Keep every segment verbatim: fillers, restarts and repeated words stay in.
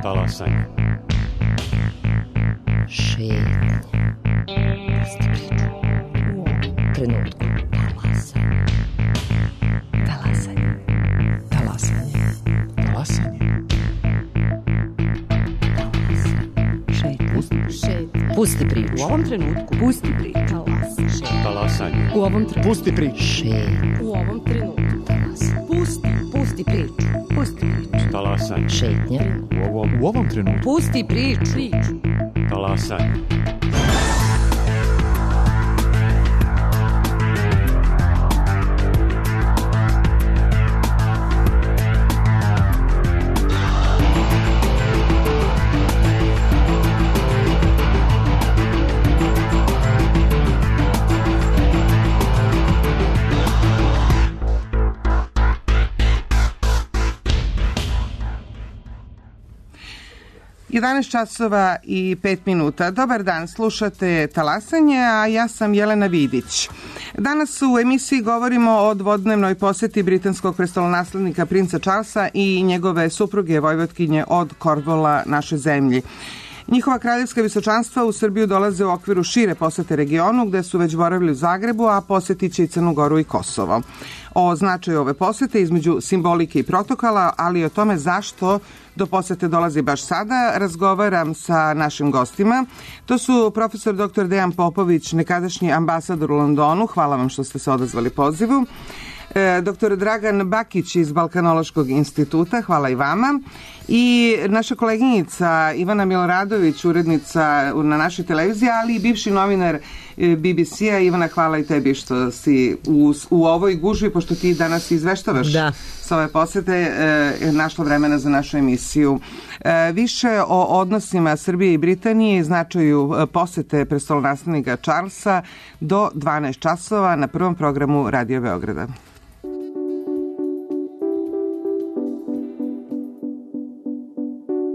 Talasanje. Šetnje. Pusti priču. U ovom trenutku. Talasanje. Talasanje. Talasanje. Talasanje. Šetnje. Pusti priču. U ovom trenutku. Pusti priču. Talasanje. U ovom trenutku. Pusti priču. Šetnje. U ovom trenutku. Talasanje. Pusti. Pusti priču. Pusti priču. Talasanje. Šetnje. U ovom, u ovom trenutku. Pusti priču. Priču. Talasanje. jedanaest časova i pet minuta. Dobar dan, slušate Talasanje, a ja sam Jelena Vidić. Danas u emisiji govorimo o dvodnevnoj poseti britanskog prestolonaslednika princa Charlesa i njegove supruge vojvotkinje od Cornwalla našoj zemlji. Njihova kraljevska visočanstva u Srbiju dolaze u okviru šire posete regionu, gde su već boravili u Zagrebu, a posetit će i Crnu Goru i Kosovo. O značaju ove posete između simbolike i protokola, ali i o tome zašto do posete dolazi baš sada, razgovaram sa našim gostima. To su profesor doktor Dejan Popović, nekadašnji ambasador u Londonu. Hvala vam što ste se odazvali pozivu. Doktor Dragan Bakić iz Balkanološkog instituta, hvala i vama. I naša koleginica Ivana Miloradović, urednica na našoj televiziji, ali i bivši novinar B B C-a. Ivana, hvala i tebi što si u, u ovoj gužvi, pošto ti danas izveštavaš da. sa ove posete, e, našla vremena za našu emisiju. E, više o odnosima Srbije i Britanije i značaju posete prestolonaslednika Charlesa do dvanaest časova na prvom programu Radio Beograda.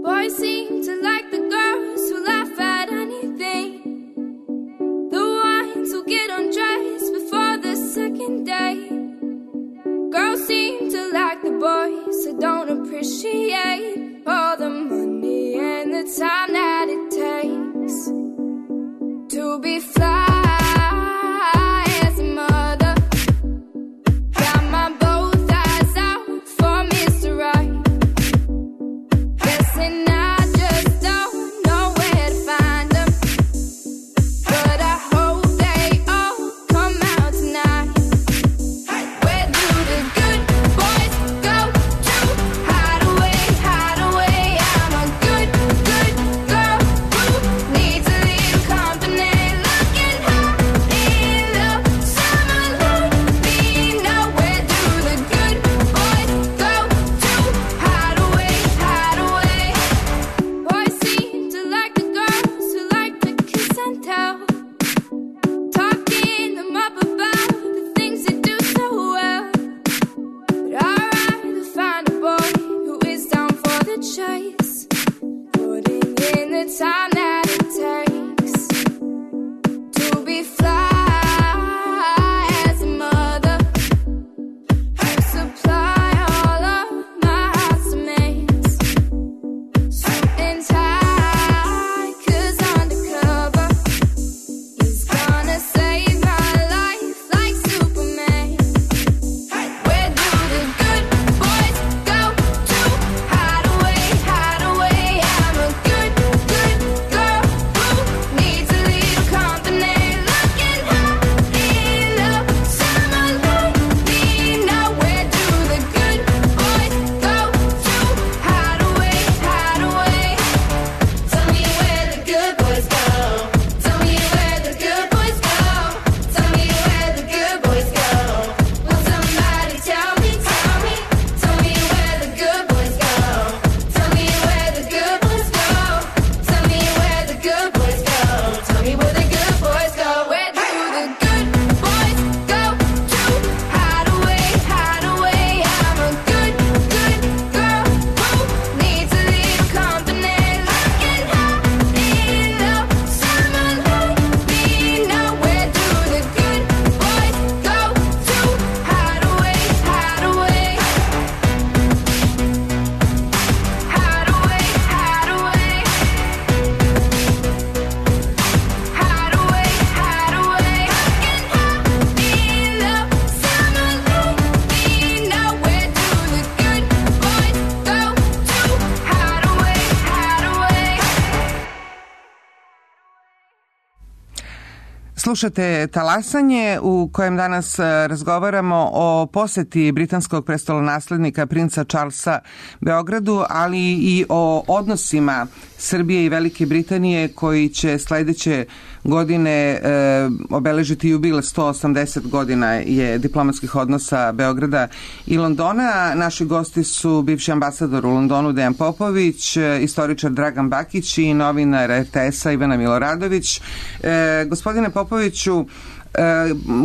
Boys seem to like the girls who laugh at anything, the ones who get undressed before the second day. Girls seem to like the boys who don't appreciate all the money and the time that it takes to be fly. Looking Slušate Talasanje u kojem danas razgovaramo o poseti britanskog prestolonaslednika princa Charlesa Beogradu, ali i o odnosima Srbije i Velike Britanije koji će sledeće godine e, obeležiti jubilej sto osamdeset godina je diplomatskih odnosa Beograda i Londona. Naši gosti su bivši ambasador u Londonu Dejan Popović, istoričar Dragan Bakić i novinar er te esa Ivana Miloradović. E, gospodine Popoviću,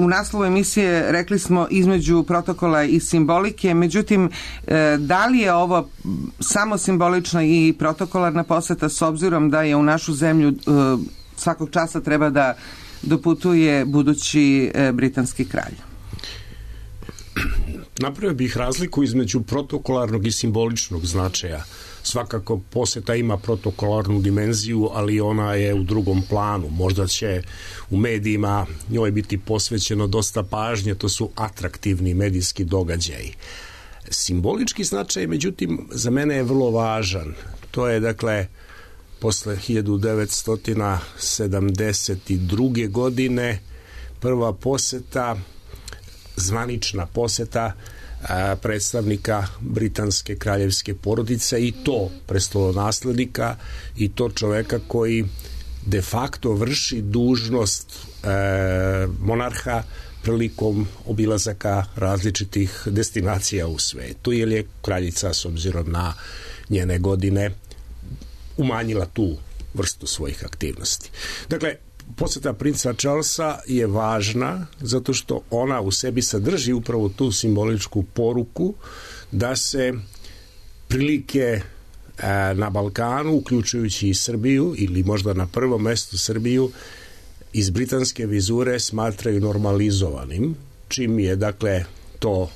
u naslovu emisije rekli smo između protokola i simbolike, međutim, da li je ovo samo simbolična i protokolarna poseta s obzirom da je u našu zemlju svakog časa treba da doputuje budući britanski kralj? Napravio bih razliku između protokolarnog i simboličnog značaja. Svakako poseta ima protokolarnu dimenziju, ali ona je u drugom planu. Možda će u medijima njoj biti posvećeno dosta pažnje, to su atraktivni medijski događaji. Simbolički značaj, međutim, za mene je vrlo važan. To je, dakle, posle hiljadu devetsto sedamdeset druge. godine prva poseta, zvanična poseta predstavnika britanske kraljevske porodice i to prestolonaslednika i to čoveka koji de facto vrši dužnost e, monarha prilikom obilazaka različitih destinacija u svetu, jer je kraljica s obzirom na njene godine umanjila tu vrstu svojih aktivnosti. Dakle, poseta princa Charlesa je važna zato što ona u sebi sadrži upravo tu simboličku poruku da se prilike na Balkanu, uključujući i Srbiju ili možda na prvom mestu Srbiju, iz britanske vizure smatraju normalizovanim, čim je, dakle, to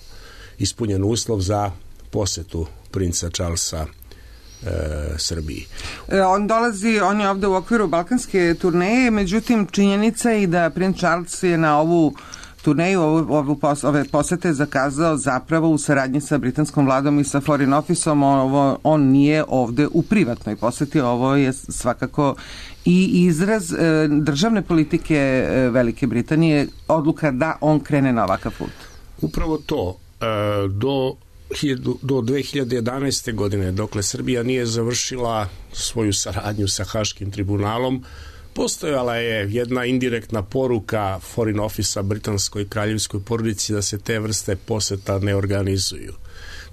ispunjen uslov za posetu princa Charlesa E, Srbiji. On dolazi, on je ovde u okviru balkanske turneje, međutim činjenica je i da princ Charles je na ovu turneju, ovu, ovu pos, ove posete zakazao zapravo u saradnji sa britanskom vladom i sa Foreign Office-om. Ovo, on nije ovde u privatnoj poseti, ovo je svakako i izraz e, državne politike e, Velike Britanije, odluka da on krene na ovakav put. Upravo to, e, do do dve hiljade jedanaeste. godine, dokle Srbija nije završila svoju saradnju sa Haškim tribunalom, postojala je jedna indirektna poruka Foreign Office-a britanskoj kraljevskoj porodici da se te vrste poseta ne organizuju.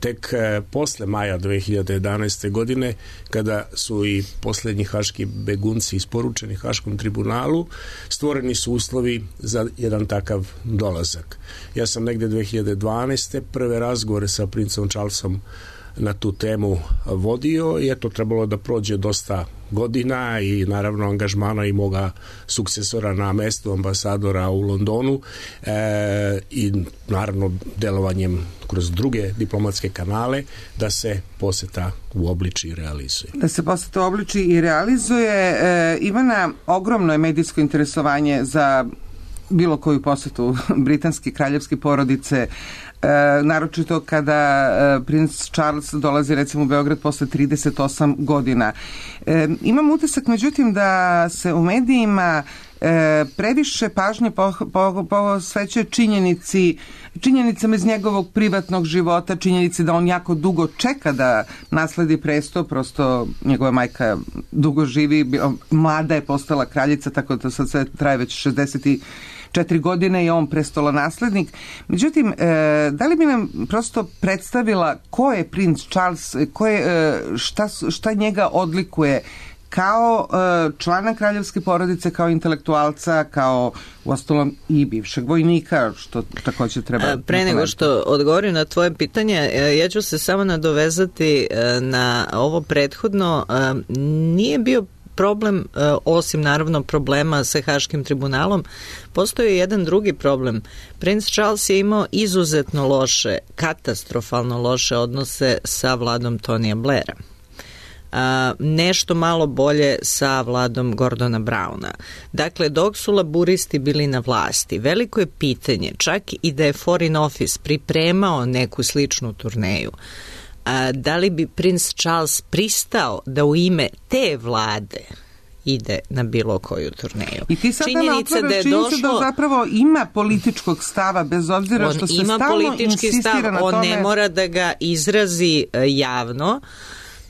Tek e, posle maja dve hiljade jedanaeste. godine, kada su i poslednji haški begunci isporučeni Haškom tribunalu, stvoreni su uslovi za jedan takav dolazak. Ja sam negde dve hiljade dvanaeste. prve razgovore sa princom Charlesom na tu temu vodio i eto, trebalo da prođe dosta godina i naravno angažmana i moga sukcesora na mestu ambasadora u Londonu e, i naravno delovanjem kroz druge diplomatske kanale da se poseta uobliči i realizuje. Da se poseta uobliči i realizuje. E, Ivana, ogromno je medijsko interesovanje za bilo koju posetu britanske kraljevske porodice, E, naročito kada e, princ Charles dolazi recimo u Beograd posle trideset osam godina. E, imam utisak međutim da se u medijima e, previše pažnje posvećuje činjenici činjenicama iz njegovog privatnog života, činjenici da on jako dugo čeka da nasledi presto, prosto njegova majka dugo živi, mlada je postala kraljica, tako da sad sve traje već šezdeset četiri godine je on prestolonaslednik. Međutim, e, da li bi nam prosto predstavila ko je princ Charles, ko je, e, šta, šta njega odlikuje kao e, člana kraljevske porodice, kao intelektualca, kao uostalom i bivšeg vojnika, što takođe treba... A, pre nego što odgovorim na tvoje pitanje, ja ću se samo nadovezati na ovo prethodno. Nije bio problem, osim naravno problema sa Haškim tribunalom, postoji jedan drugi problem. Princ Charles je imao izuzetno loše, katastrofalno loše odnose sa vladom Tonija Blaira. A, nešto malo bolje sa vladom Gordona Browna. Dakle, dok su laburisti bili na vlasti, veliko je pitanje, čak i da je Foreign Office pripremao neku sličnu turneju, a, da li bi princ Charles pristao da u ime te vlade ide na bilo koju turneju. I ti sada nam Činjenica otvaraš da je činjenicu došlo, da zapravo ima političkog stava, bez obzira što on se ima stalno politički insistira stav, na on tome. ne mora da ga izrazi e, javno,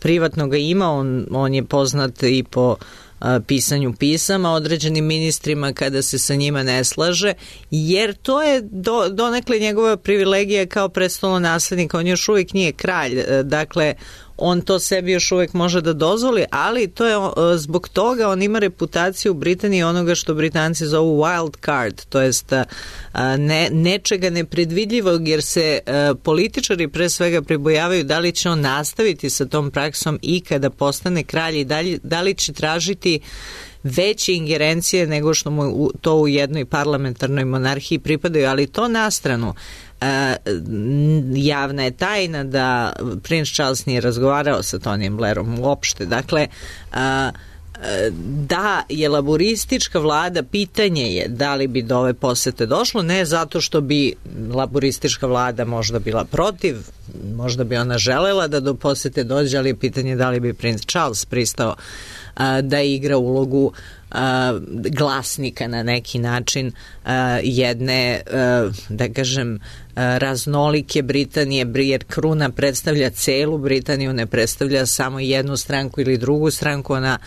privatno ga ima, on, on je poznat i po a, pisanju pisama određenim ministrima kada se sa njima ne slaže, jer to je do, donekle njegova privilegija kao prestolonaslednika, on još uvijek nije kralj, e, dakle on to sebi još uvijek može da dozvoli, ali to je zbog toga on ima reputaciju u Britaniji onoga što Britanci zovu wild card, to jest ne, nečega nepredvidljivog, jer se a, političari pre svega pribojavaju da li će on nastaviti sa tom praksom i kada postane kralj i da li, da li će tražiti veće ingerencije nego što mu to u jednoj parlamentarnoj monarhiji pripadaju, ali to na stranu. E, javna je tajna da princ Charles nije razgovarao sa Tonyjem Blairom uopšte. Dakle, a, da je laboristička vlada, pitanje je da li bi do ove posete došlo, ne zato što bi laboristička vlada možda bila protiv, možda bi ona želela da do posete dođe, ali je pitanje da li bi princ Charles pristao a, da igra ulogu a, glasnika na neki način a, jedne, a, da kažem, a, raznolike Britanije, jer kruna predstavlja celu Britaniju, ne predstavlja samo jednu stranku ili drugu stranku, ona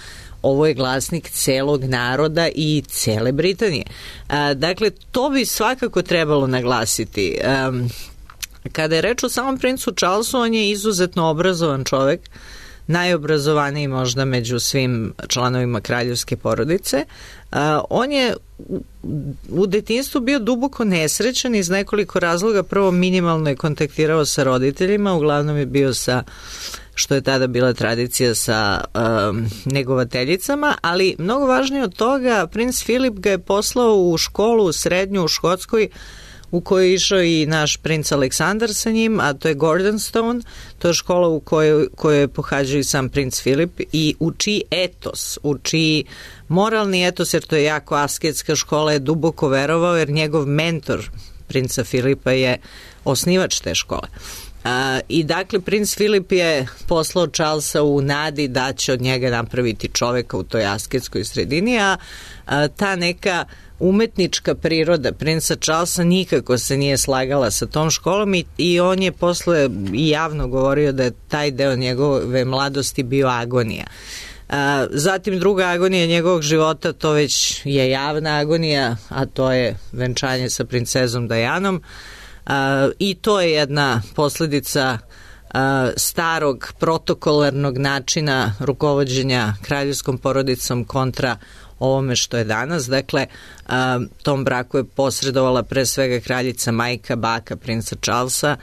ovo je glasnik celog naroda i cele Britanije. A, dakle, to bi svakako trebalo naglasiti. A, kada je reč o samom princu Charlesu, on je izuzetno obrazovan čovek, najobrazovaniji možda među svim članovima kraljevske porodice. A, on je u, u detinjstvu bio duboko nesrećan iz nekoliko razloga. Prvo, minimalno je kontaktirao sa roditeljima, uglavnom je bio sa, što je tada bila tradicija, sa um, negovateljicama, ali mnogo važnije od toga, princ Filip ga je poslao u školu srednju u Škotskoj, u kojoj je išao i naš princ Aleksandar sa njim, a to je Gordonstone, to je škola u kojoj, kojoj je pohađao i sam princ Filip i uči etos, uči moralni etos, jer to je jako asketska škola, je duboko verovao, jer njegov mentor princa Filipa je osnivač te škole. A, i dakle princ Filip je poslao Charlesa u nadi da će od njega napraviti čoveka u toj asketskoj sredini, a, a ta neka umetnička priroda princa Charlesa nikako se nije slagala sa tom školom i, i on je posle i javno govorio da je taj deo njegove mladosti bio agonija. A, zatim druga agonija njegovog života, to već je javna agonija, a to je venčanje sa princezom Dianom. Uh, i to je jedna posledica uh, starog protokolarnog načina rukovođenja kraljevskom porodicom kontra ovome što je danas. Dakle, uh, tom braku je posredovala pre svega kraljica majka, baka princa Charlesa.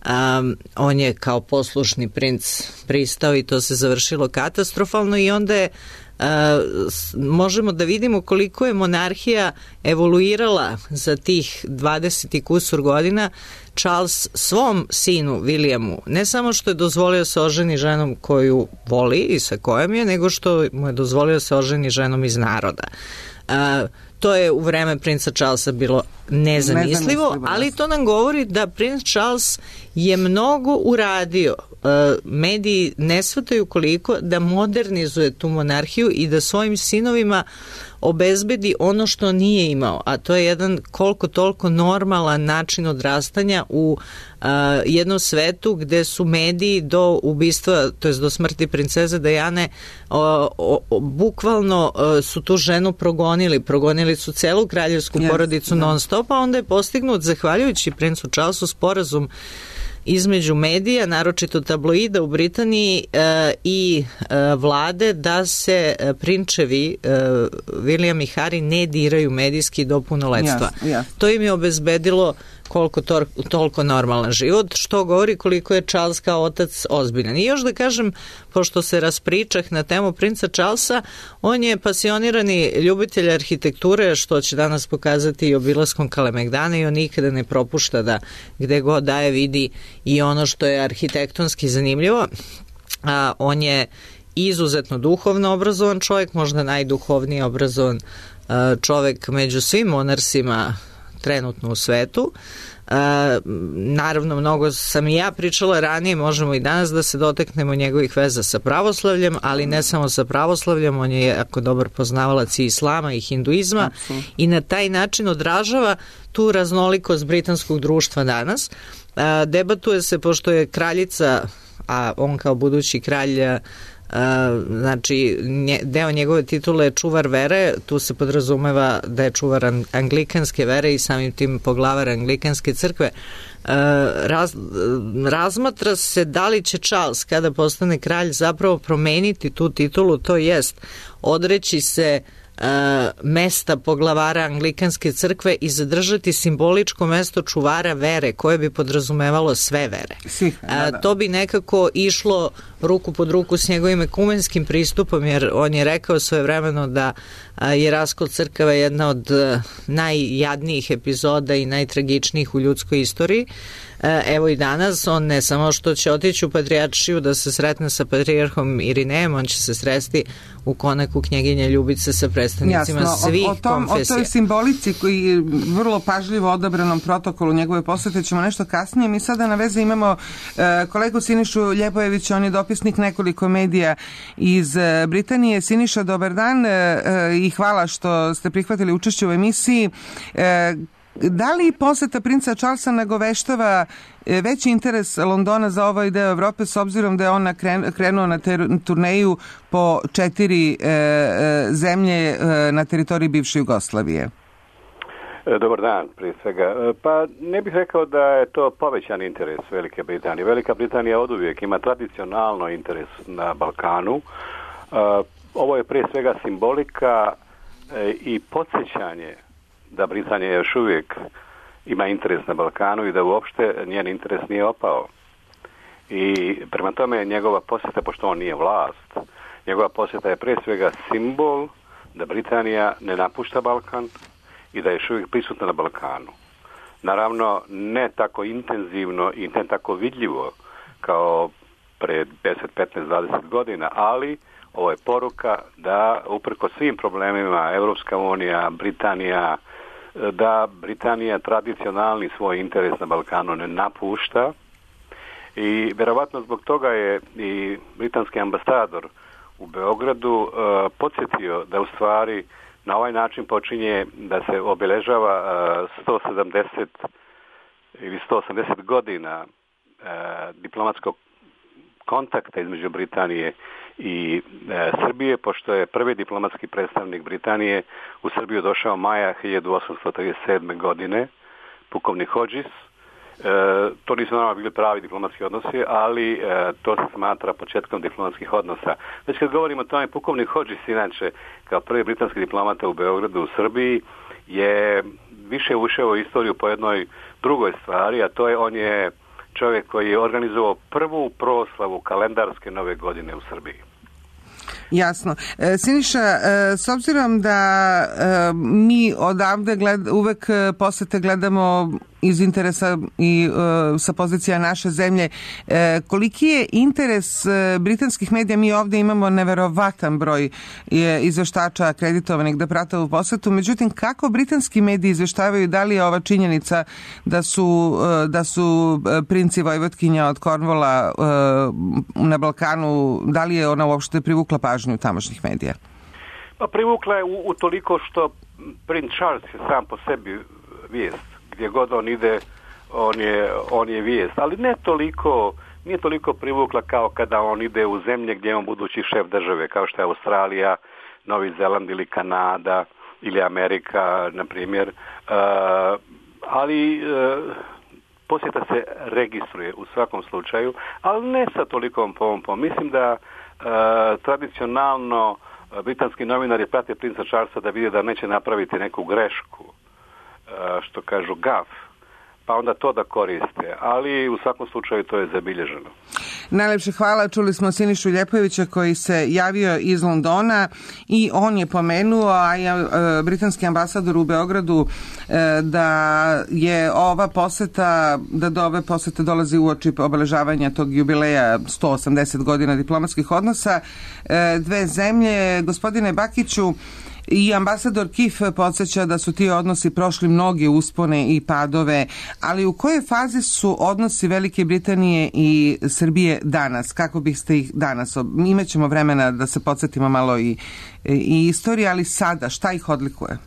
Um, on je kao poslušni princ pristao i to se završilo katastrofalno i onda je Uh, možemo da vidimo koliko je monarhija evoluirala za tih dvadeset i kusur godina. Charles svom sinu Williamu ne samo što je dozvolio se oženi ženom koju voli i sa kojom je, nego što mu je dozvolio se oženi ženom iz naroda. Uh, to je u vreme princa Charlesa bilo nezamislivo, nezamislivo, ali to nam govori da princ Charles je mnogo uradio. Mediji ne shvataju koliko da modernizuje tu monarhiju i da svojim sinovima obezbedi ono što nije imao, a to je jedan koliko toliko normalan način odrastanja u uh, jednom svetu gde su mediji do ubistva, to jest do smrti princeze Diane, o, o, bukvalno o, su tu ženu progonili, progonili su celu kraljevsku yes, porodicu non stop, a onda je postignut, zahvaljujući princu Charlesu, sporazum između medija, naročito tabloida u Britaniji e, i e, vlade, da se e, prinčevi e, William i Harry ne diraju medijski do punoletstva. Yes, yes. To im je obezbedilo koliko to, toliko normalan život, što govori koliko je Charles kao otac ozbiljan. I još da kažem, pošto se raspričah na temu princa Charlesa, on je pasionirani ljubitelj arhitekture, što će danas pokazati i obilaskom Kalemegdana, i on nikada ne propušta da gde god daje vidi i ono što je arhitektonski zanimljivo. A, on je izuzetno duhovno obrazovan čovjek, možda najduhovnije obrazovan a, čovjek među svim monarsima trenutno u svetu. naravno, mnogo sam i ja pričala ranije, možemo i danas da se doteknemo njegovih veza sa pravoslavljem, ali ne samo sa pravoslavljem, on je jako dobar poznavalac i islama i hinduizma. Absolutno. I na taj način odražava tu raznolikost britanskog društva danas. Debatuje se, pošto je kraljica, a on kao budući kralj, Uh, znači nje, deo njegove titule je čuvar vere, tu se podrazumeva da je čuvar anglikanske vere i samim tim poglavar anglikanske crkve. Uh, raz, razmatra se da li će Charles kada postane kralj zapravo promeniti tu titulu, to jest odreći se Uh, mesta poglavara anglikanske crkve i zadržati simboličko mesto čuvara vere koje bi podrazumevalo sve vere. Svih, da, da. Uh, to bi nekako išlo ruku pod ruku s njegovim ekumenskim pristupom, jer on je rekao svojevremeno da uh, je raskol crkava jedna od uh, najjadnijih epizoda i najtragičnijih u ljudskoj istoriji. Evo i danas, on ne samo što će otići u patrijaršiju da se sretne sa patrijarhom Irinejem, on će se sresti u konaku knjeginje Ljubice sa predstavnicima Jasno, svih o, o tom, konfesija. O toj simbolici koji vrlo pažljivo odabranom protokolu njegove posete ćemo nešto kasnije. Mi sada na vezi imamo uh, kolegu Sinišu Ljepojevića, on je dopisnik nekoliko medija iz uh, Britanije. Siniša, dobar dan uh, i hvala što ste prihvatili učešće u emisiji. Uh, Da li poseta princa Charlesa nagoveštava veći interes Londona za ovaj deo Evrope, s obzirom da je on krenuo na ter, turneju po četiri e, zemlje e, na teritoriji bivše Jugoslavije? Dobar dan, prije svega. Pa ne bih rekao da je to povećan interes Velike Britanije. Velika Britanija oduvijek ima tradicionalno interes na Balkanu. Ovo je prije svega simbolika i podsjećanje da Britanija još uvijek ima interes na Balkanu i da uopšte njen interes nije opao. I prema tome njegova posjeta, pošto on nije vlast, njegova posjeta je prije svega simbol da Britanija ne napušta Balkan i da je još uvijek prisutna na Balkanu. Naravno, ne tako intenzivno i ne tako vidljivo kao pre deset, petnaest, dvadeset godina, ali ovo je poruka da uprko svim problemima Evropska unija, Britanija, da Britanija tradicionalni svoj interes na Balkanu ne napušta i vjerovatno zbog toga je i britanski ambasador u Beogradu uh, podsjetio da u stvari na ovaj način počinje da se obilježava uh, sto sedamdeset ili sto osamdeset godina uh, diplomatskog kontakta između Britanije i e, Srbije, pošto je prvi diplomatski predstavnik Britanije u Srbiju došao maja hiljadu osamsto trideset sedme. godine, pukovnik Hodges. E, to nisu naravno bili pravi diplomatski odnosi, ali e, to se smatra početkom diplomatskih odnosa. Već kad govorimo o tome, pukovnik Hodges, inače, kao prvi britanski diplomata u Beogradu u Srbiji, je više ušao u istoriju po jednoj drugoj stvari, a to je on je čovjek koji je organizovao prvu proslavu kalendarske nove godine u Srbiji. Jasno. E, Siniša, e, s obzirom da e, mi odavde gled, uvek posete gledamo iz interesa i e, sa pozicija naše zemlje, e, koliki je interes e, britanskih medija? Mi ovdje imamo neverovatan broj je, izveštača akreditovanih da prate u posetu, međutim kako britanski mediji izveštavaju, da li je ova činjenica da su, e, da su princi Vojvodkinja od Cornwalla e, na Balkanu, da li je ona uopšte privukla pažnju tamošnjih medija? Pa privukla je u, u toliko što princ Charles je sam po sebi vijest. Gdje god on ide, on je, on je vijest. Ali ne toliko, nije toliko privukla kao kada on ide u zemlje gdje je on budući šef države, kao što je Australija, Novi Zeland ili Kanada ili Amerika, na primjer. Uh, ali uh, posjeta se registruje u svakom slučaju, ali ne sa tolikom pompom. Mislim da uh, tradicionalno uh, britanski novinari prate princa Charlesa da vide da neće napraviti neku grešku, što kažu gaf, pa onda to da koriste, ali u svakom slučaju to je zabilježeno. Najlepše hvala, čuli smo Sinišu Ljepojevića koji se javio iz Londona i on je pomenuo, a je britanski ambasador u Beogradu, da je ova poseta, da do ove posete dolazi uoči obeležavanja tog jubileja sto osamdeset godina diplomatskih odnosa dve zemlje. Gospodine Bakiću, I ambasador Kif podsjeća da su ti odnosi prošli mnoge uspone i padove, ali u kojoj fazi su odnosi Velike Britanije i Srbije danas? Kako biste ih danas? Imaćemo vremena da se podsjetimo malo i, i istorije, ali sada, šta ih odlikuje?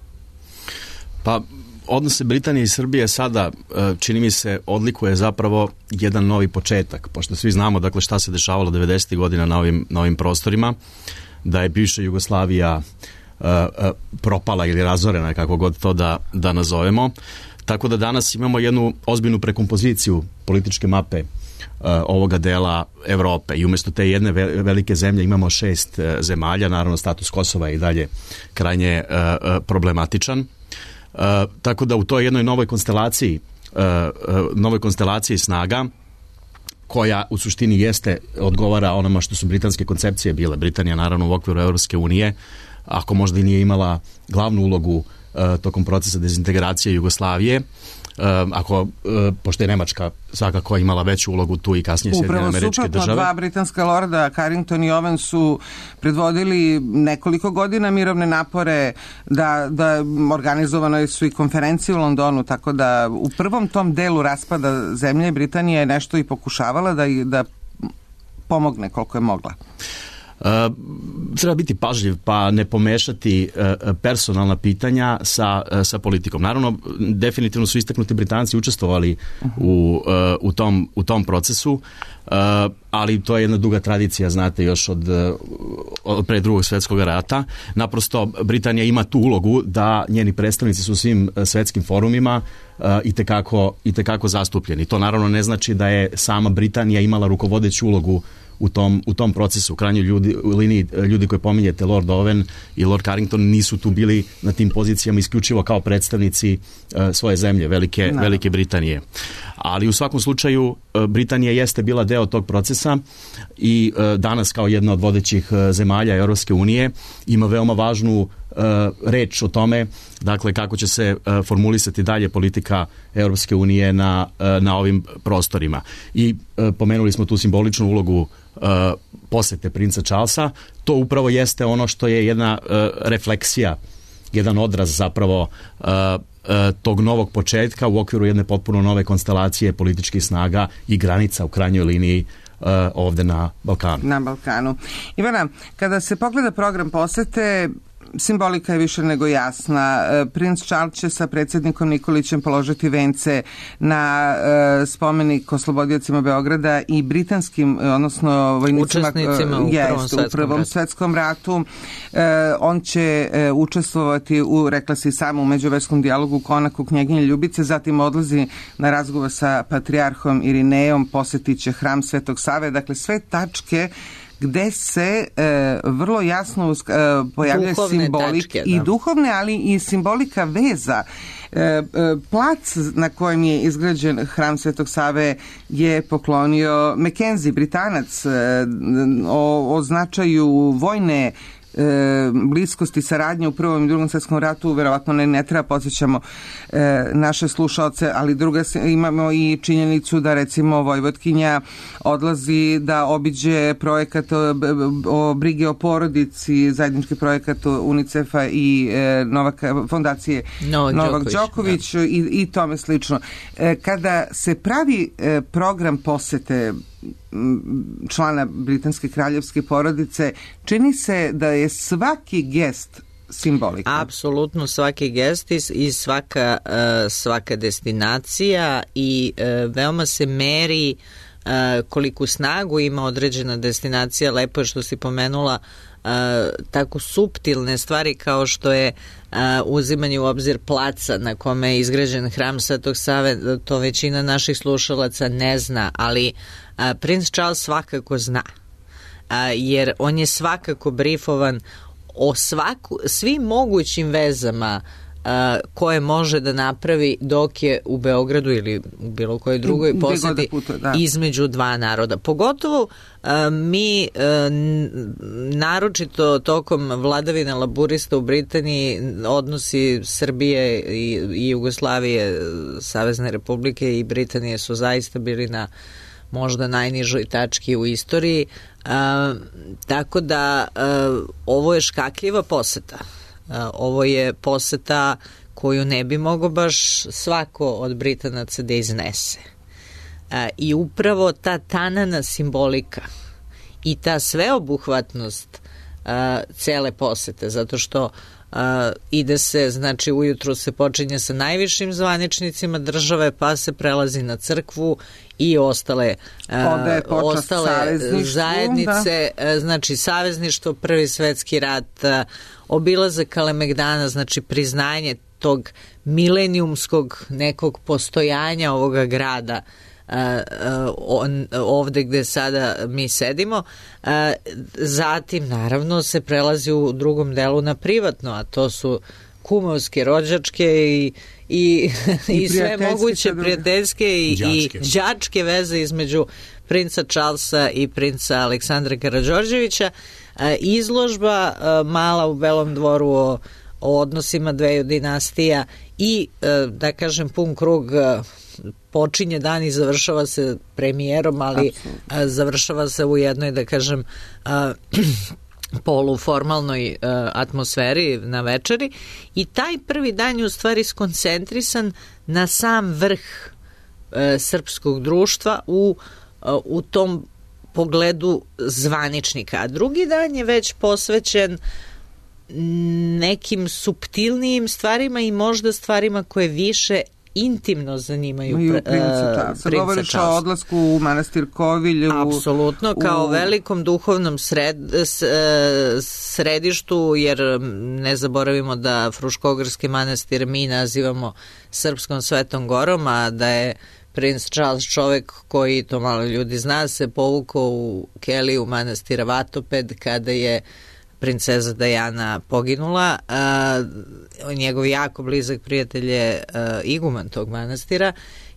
Pa, odnose Britanije i Srbije sada, čini mi se, odlikuje zapravo jedan novi početak, pošto svi znamo dakle šta se dešavalo devedesetih godina na ovim, na ovim prostorima, da je bivša Jugoslavija uh, uh, propala ili razorena, kako god to da, da nazovemo. Tako da danas imamo jednu ozbiljnu prekompoziciju političke mape uh, ovoga dela Evrope i umjesto te jedne velike zemlje imamo šest uh, zemalja, naravno status Kosova je i dalje krajnje uh, uh, problematičan. Uh, tako da u toj jednoj novoj konstelaciji uh, uh, novoj konstelaciji snaga koja u suštini jeste, odgovara onoma što su britanske koncepcije bile. Britanija naravno u okviru Europske unije, ako možda i nije imala glavnu ulogu uh, tokom procesa dezintegracije Jugoslavije, uh, ako, uh, pošto je Nemačka svakako imala veću ulogu tu i kasnije Sjedinjene Američke Države. Upravo suprotno, dva britanska lorda, Carrington i Owen, su predvodili nekoliko godina mirovne napore, da, da organizovano su i konferencije u Londonu, tako da u prvom tom delu raspada zemlje Britanija je nešto i pokušavala da, da pomogne koliko je mogla. Uh, treba biti pažljiv pa ne pomešati uh, personalna pitanja sa, uh, sa politikom. Naravno, definitivno su istaknuti Britanci učestvovali u, uh, u, tom, u tom procesu, uh, ali to je jedna duga tradicija, znate, još od, od pre drugog svjetskog rata. Naprosto, Britanija ima tu ulogu da njeni predstavnici su u svim svjetskim forumima uh, itekako, itekako zastupljeni. To naravno ne znači da je sama Britanija imala rukovodeću ulogu u tom, u tom procesu. U krajnjoj ljudi, u liniji ljudi koje pominjete, Lord Owen i Lord Carrington, nisu tu bili na tim pozicijama isključivo kao predstavnici uh, svoje zemlje, Velike, no. Velike Britanije. Ali u svakom slučaju uh, Britanija jeste bila deo tog procesa i uh, danas kao jedna od vodećih uh, zemalja Europske unije ima veoma važnu uh, reč o tome, dakle, kako će se uh, formulisati dalje politika Europske unije na, uh, na ovim prostorima. I uh, pomenuli smo tu simboličnu ulogu Uh, posete princa Charlesa. To upravo jeste ono što je jedna uh, refleksija, jedan odraz zapravo uh, uh, tog novog početka u okviru jedne potpuno nove konstelacije političkih snaga i granica u krajnjoj liniji uh, ovde na Balkanu. Na Balkanu. Ivana, kada se pogleda program posete, simbolika je više nego jasna. Princ Charles će sa predsjednikom Nikolićem položiti vence na uh, spomenik oslobodiocima Beograda i britanskim, odnosno vojnicima učesnicima uh, u, jest, prvom svetskom, u prvom ratu. svetskom ratu. Uh, on će uh, učestvovati u, rekla se i samo, u međuverskom dijalogu u konaku Knjeginje Ljubice, zatim odlazi na razgovor sa patrijarhom Irinejom, posjetit će hram Svetog Save, dakle sve tačke gde se e, vrlo jasno e, pojavljaju simbolik tačke, i duhovne, ali i simbolika veza. E, e, plac na kojem je izgrađen hram Svetog Save je poklonio Mackenzie, Britanac, e, o, o značaju vojne E, bliskosti saradnje u prvom i drugom svjetskom ratu, verovatno ne, ne treba podsjećamo e, naše slušaoce, ali druga imamo i činjenicu da recimo Vojvodkinja odlazi da obiđe projekat o, o brige o porodici, zajednički projekat UNICEF-a i e, Novak, fondacije Novak, Novak Đoković, Đoković i, i tome slično. E, kada se pravi e, program posete člana britanske kraljevske porodice, čini se da je svaki gest simbolika. Apsolutno svaki gest i svaka, svaka destinacija i veoma se meri koliku snagu ima određena destinacija. Lepo je što si pomenula Uh, tako suptilne stvari kao što je uh, uzimanje u obzir placa na kome je izgrađen hram Svetog Save. To većina naših slušalaca ne zna, ali uh, princ Charles svakako zna, uh, jer on je svakako brifovan o svaku, svim mogućim vezama Uh, koje može da napravi dok je u Beogradu ili u bilo kojoj drugoj poseti između dva naroda. Pogotovo uh, mi uh, naročito tokom vladavine laburista u Britaniji, odnosi Srbije i, i Jugoslavije, Savezne Republike i Britanije su zaista bili na možda najnižoj tački u istoriji. Uh, tako da uh, ovo je škakljiva poseta. Ovo je poseta koju ne bi mogao baš svako od Britanaca da iznese. I upravo ta tanana simbolika i ta sveobuhvatnost cele posete, zato što Uh, ide se, znači ujutru se počinje sa najvišim zvaničnicima države, pa se prelazi na crkvu i ostale, uh, ostale zajednice, da. Znači savezništvo, Prvi svetski rat, uh, obilazak Kalemegdana, znači priznanje tog milenijumskog nekog postojanja ovoga grada Uh, on, ovde gde sada mi sedimo. Uh, zatim naravno se prelazi u drugom delu na privatno, a to su kumovske, rođačke i, i, I, i sve moguće prijateljske i, i đačke veze između princa Charlesa i princa Aleksandra Karađorđevića. Uh, izložba uh, mala u Belom dvoru o, o odnosima dveju dinastija i uh, da kažem pun krug uh, počinje dan i završava se premijerom, ali a, završava se u jednoj, da kažem, a, poluformalnoj a, atmosferi na večeri i taj prvi dan je u stvari skoncentrisan na sam vrh a, srpskog društva u, a, u tom pogledu zvaničnika. A drugi dan je već posvećen nekim suptilnijim stvarima i možda stvarima koje više intimno zanimaju pre, princa Charlesa. Govoriš o odlasku u manastir Kovilj. Apsolutno, kao u... velikom duhovnom sred, središtu, jer ne zaboravimo da Fruškogorski manastir mi nazivamo Srpskom Svetom Gorom, a da je princ Charles čovek koji, to malo ljudi zna, se povukao u keliju manastira Vatoped kada je princeza Dajana poginula. Uh, njegov jako blizak prijatelj je uh, iguman tog manastira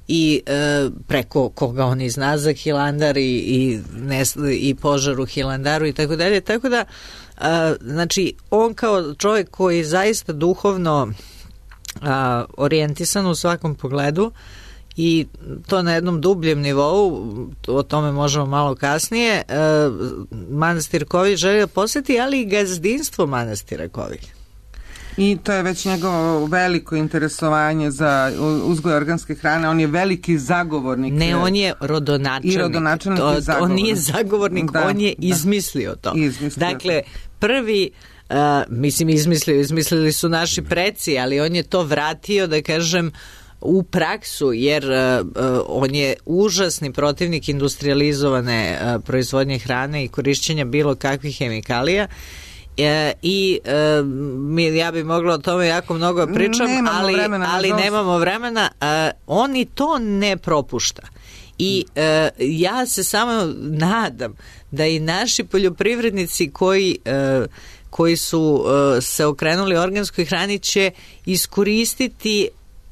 i uh, preko koga on i zna za Hilandar i, i, nes, i požar u Hilandaru i tako dalje. Tako da, uh, znači, on kao čovjek koji je zaista duhovno uh, orijentisan u svakom pogledu i to na jednom dubljem nivou, o tome možemo malo kasnije, e, manastir Kovilj želi da posjeti, ali i gazdinstvo manastira Kovilj. I to je već njegovo veliko interesovanje za uzgoj organske hrane. On je veliki zagovornik. Ne, on je rodonačelnik. I rodonačelnik to, i zagovornik. On nije zagovornik, da, on je izmislio da, to. Izmislio dakle, prvi, uh, mislim, izmislio, izmislili su naši preci, ali on je to vratio, da kažem, u praksu, jer uh, on je užasni protivnik industrializovane uh, proizvodnje hrane i korišćenja bilo kakvih hemikalija. E, i e, mi, ja bi mogla o tome jako mnogo pričam, nemamo ali, vremena, ali nemamo vremena. E, on i to ne propušta. I e, ja se samo nadam da i naši poljoprivrednici koji, e, koji su e, se okrenuli organskoj hrani će iskoristiti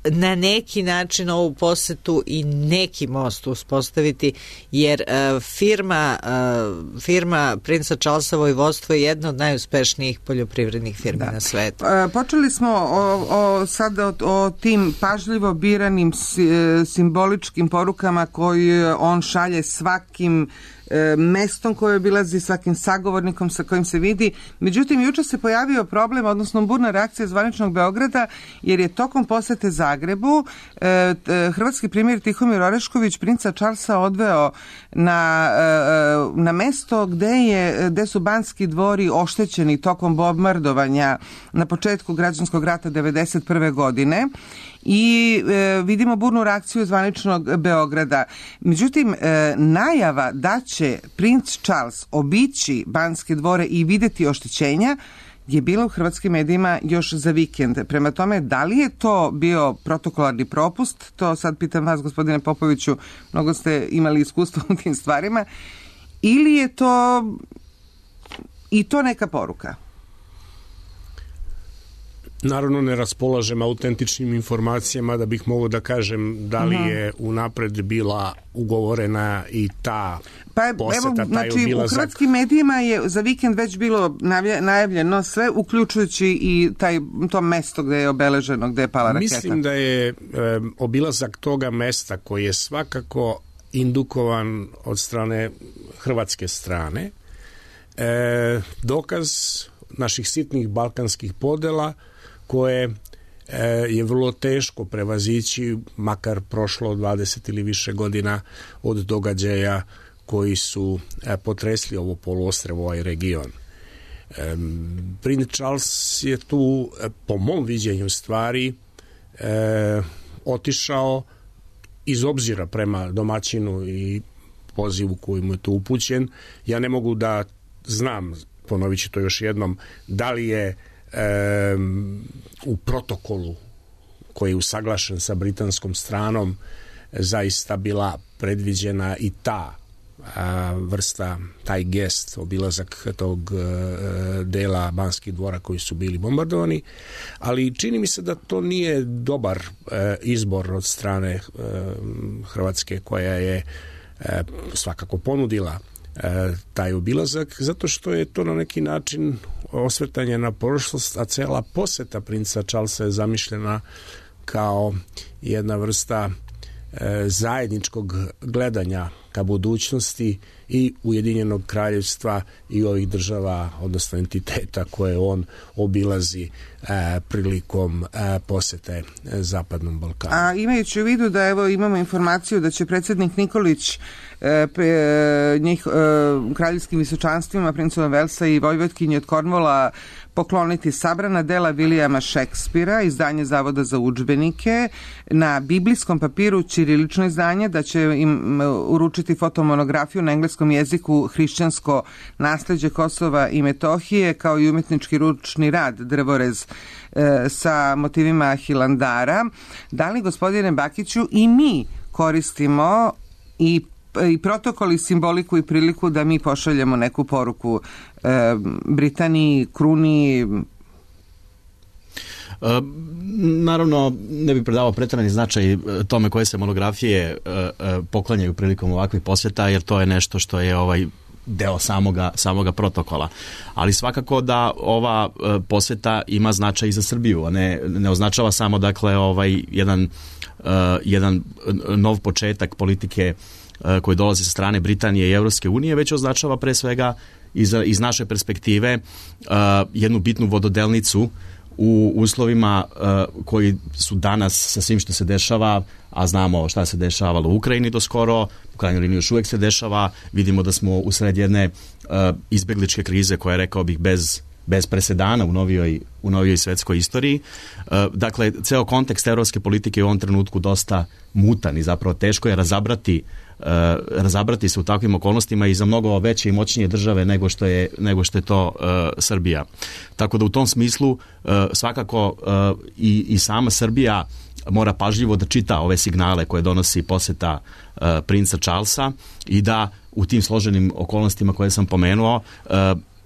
na neki način ovu posetu i neki most uspostaviti, jer uh, firma uh, firma princa Charlesa vojvodstvo je jedna od najuspešnijih poljoprivrednih firmi da. na svetu. E, počeli smo o, o, sada o, o tim pažljivo biranim si, simboličkim porukama koji on šalje svakim e, mestom koje obilazi, svakim sagovornikom sa kojim se vidi. Međutim, juče se pojavio problem, odnosno burna reakcija zvaničnog Beograda, jer je tokom posete Zagrebu e, hrvatski premijer Tihomir Orešković princa Charlesa odveo na, e, na mesto gde, je, gde su Banski dvori oštećeni tokom bombardovanja na početku građanskog rata devedeset prve godine. I e, vidimo burnu reakciju zvaničnog Beograda. Međutim, e, najava da će princ Charles obići Banske dvore i videti oštećenja je bila u hrvatskim medijima još za vikend. Prema tome, da li je to bio protokolarni propust? To sad pitam vas, gospodine Popoviću, mnogo ste imali iskustva u tim stvarima. Ili je to i to neka poruka? Naravno ne raspolažem autentičnim informacijama da bih mogao da kažem da li je unapred bila ugovorena i ta pa, poseta, evo, taj znači, obilazak. U hrvatskim medijima je za vikend već bilo najavljeno sve, uključujući i taj, to mesto gde je obeleženo, gde je pala raketa. Mislim da je e, obilazak toga mesta koji je svakako indukovan od strane hrvatske strane, E, dokaz naših sitnih balkanskih podela koje e, je vrlo teško prevazići, makar prošlo dvadeset ili više godina od događaja koji su e, potresli ovo poluostrvo, ovaj region. E, Princ Charles je tu, e, po mom viđenju stvari, e, otišao iz obzira prema domaćinu i pozivu koji mu je tu upućen. Ja ne mogu da znam, ponovit ću to još jednom, da li je e, u protokolu koji je usaglašen sa britanskom stranom zaista bila predviđena i ta a, vrsta, taj gest, obilazak tog a, dela Banskih dvora koji su bili bombardovani, ali čini mi se da to nije dobar a, izbor od strane a, Hrvatske, koja je a, svakako ponudila a, taj obilazak, zato što je to na neki način osvrtanje na prošlost, a cela poseta princa Charlesa je zamišljena kao jedna vrsta zajedničkog gledanja ka budućnosti i Ujedinjenog kraljevstva i ovih država, odnosno entiteta koje on obilazi e, prilikom e, posete Zapadnom Balkanu. A imajući u vidu da evo imamo informaciju da će predsjednik Nikolić e, pe, njih, e, kraljevskim visočanstvima, princova Velsa i vojvodkinje od Kornvola pokloniti sabrana dela Vilijama Šekspira, izdanje Zavoda za udžbenike, na biblijskom papiru ćirilično izdanje, da će im uručiti fotomonografiju na engleskom jeziku Hrišćansko nasleđe Kosova i Metohije, kao i umetnički ručni rad Drvorez e, sa motivima Hilandara. Da li, gospodine Bakiću, i mi koristimo i i protokol i simboliku i priliku da mi pošaljemo neku poruku e, Britaniji, kruni? E, naravno, ne bih predavao preterani značaj tome koje se monografije e, e, poklanjaju prilikom ovakvih posjeta, jer to je nešto što je ovaj deo samoga, samoga protokola. Ali svakako da ova e, posjeta ima značaj i za Srbiju, a ne, ne označava samo dakle ovaj jedan, e, jedan nov početak politike koji dolazi sa strane Britanije i Evropske unije, već označava pre svega iz, iz naše perspektive uh, jednu bitnu vododelnicu u uslovima uh, koji su danas sa svim što se dešava, a znamo šta se dešavalo u Ukrajini do skoro, u krajnjoj liniji još uvek se dešava, vidimo da smo usred jedne uh, izbegličke krize koja je, rekao bih, bez bez presedana u novijoj, u novijoj svetskoj istoriji. Dakle, ceo kontekst evropske politike je u ovom trenutku dosta mutan i zapravo teško je razabrati, razabrati se u takvim okolnostima i za mnogo veće i moćnije države nego što je, nego što je to uh, Srbija. Tako da u tom smislu uh, svakako uh, i, i sama Srbija mora pažljivo da čita ove signale koje donosi poseta uh, princa Charlesa i da u tim složenim okolnostima koje sam pomenuo uh,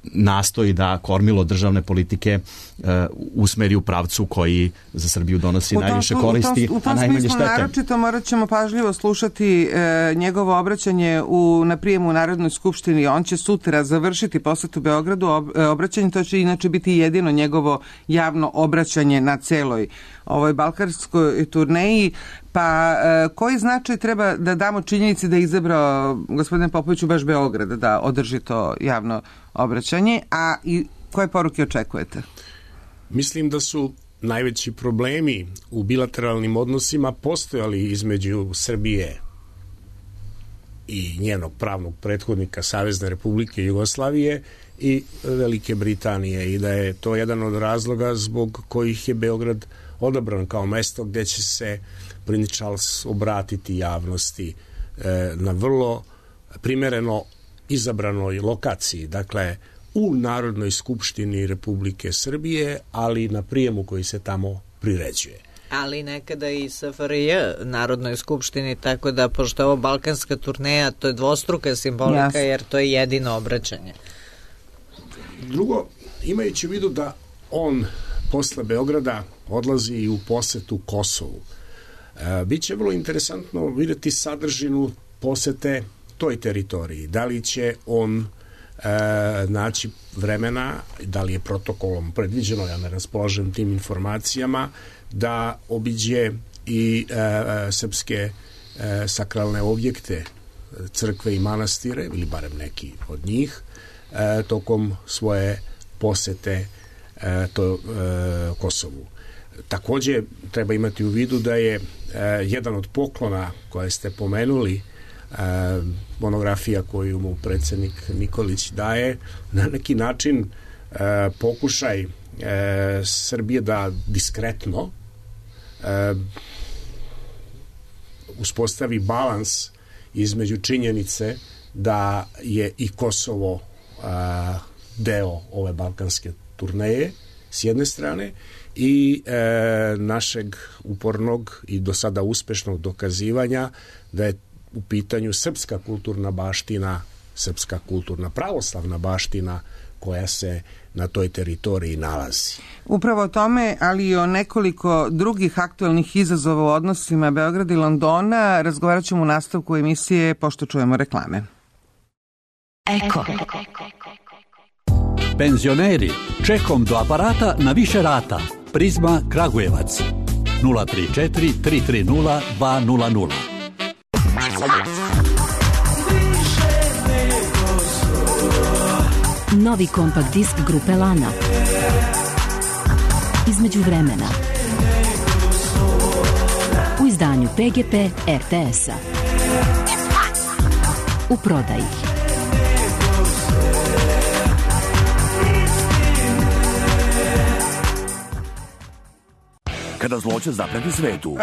nastoji da kormilo državne politike uh, usmeri u pravcu koji za Srbiju donosi u najviše tom, koristi, u tom, u tom a najmanje štete. Naročito morat ćemo pažljivo slušati e, njegovo obraćanje u, na prijemu u Narodnoj skupštini. On će sutra završiti posetu Beogradu ob, e, obraćanje, to će inače biti jedino njegovo javno obraćanje na celoj ovoj balkanskoj turneji. Pa e, koji značaj treba da damo činjenici da je izabrao gospodine Popoviću baš Beograd da održi to javno obraćanje, a i koje poruke očekujete? Mislim da su najveći problemi u bilateralnim odnosima postojali između Srbije i njenog pravnog prethodnika Savezne Republike Jugoslavije i Velike Britanije i da je to jedan od razloga zbog kojih je Beograd odabran kao mesto gde će se princ Charles obratiti javnosti e, na vrlo primereno izabranoj lokaciji, dakle u Narodnoj skupštini Republike Srbije, ali na prijemu koji se tamo priređuje. Ali nekada i S F R J Narodnoj skupštini, tako da pošto je ovo balkanska turneja, to je dvostruka simbolika, yes. Jer to je jedino obraćanje. Drugo, imajući u vidu da on posle Beograda odlazi i u posetu Kosovu, e, biće vrlo interesantno vidjeti sadržinu posete toj teritoriji. Da li će on e, naći vremena, da li je protokolom predviđeno, ja ne raspolažem tim informacijama, da obiđe i e, srpske e, sakralne objekte, crkve i manastire, ili barem neki od njih, e, tokom svoje posete e, to e, Kosovu. Takođe treba imati u vidu da je e, jedan od poklona koje ste pomenuli, e, monografija koju mu predsjednik Nikolić daje, na neki način e, pokušaj e, Srbije da diskretno e, uspostavi balans između činjenice da je i Kosovo a, deo ove balkanske turneje s jedne strane i e, našeg upornog i do sada uspešnog dokazivanja da je u pitanju srpska kulturna baština, srpska kulturna pravoslavna baština koja se na toj teritoriji nalazi. Upravo o tome, ali i o nekoliko drugih aktualnih izazova u odnosima Beograda i Londona razgovarat ćemo u nastavku emisije pošto čujemo reklame. Eko. Penzioneri, čekom do aparata na više rata. Prizma Kragujevac. nula tri četiri tri tri nula dva nula nula. Novi kompakt disk grupe Lana. Između vremena. U izdanju P G P R T S-a. U prodaji. Kada zloće zapreti svetu,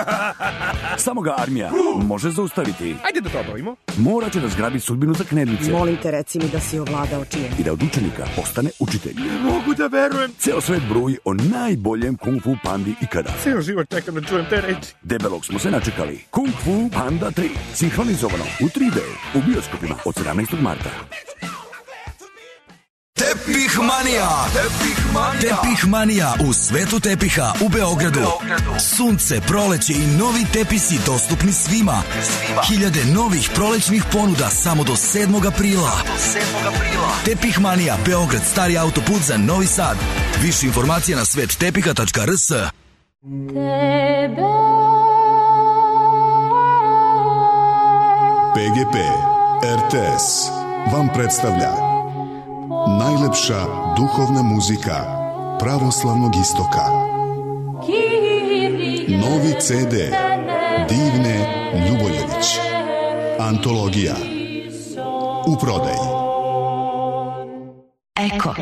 samo ga armija može zaustaviti. Ajde da to obavimo. Mora će da zgrabi sudbinu za knedlice. Molim te, reci mi da si ovladao čijem. I da od učenika postane učitelj. Ne mogu da verujem. Ceo svet bruji o najboljem kung fu pandi ikada. Ceo život čekam da čujem te reči. Debelog smo se načekali. Kung Fu Panda tri. Sinhronizovano u tri D. U bioskopima od sedamnaestog marta. Tepih Manija. Tepih Manija. Tepih Manija u svetu tepiha u Beogradu. Beogradu. Sunce, proleće i novi tepisi dostupni svima. svima. Hiljade novih prolećnih ponuda samo do sedmog aprila. Do sedmog aprila. Tepih Manija, Beograd, stari autoput za Novi Sad. Više informacija na svet tepiha tačka r s. P G P R T S vam predstavlja najlepša duhovna muzika pravoslavnog istoka. Novi C D Divne Ljuboljević. Antologija. U prodaji. Eko.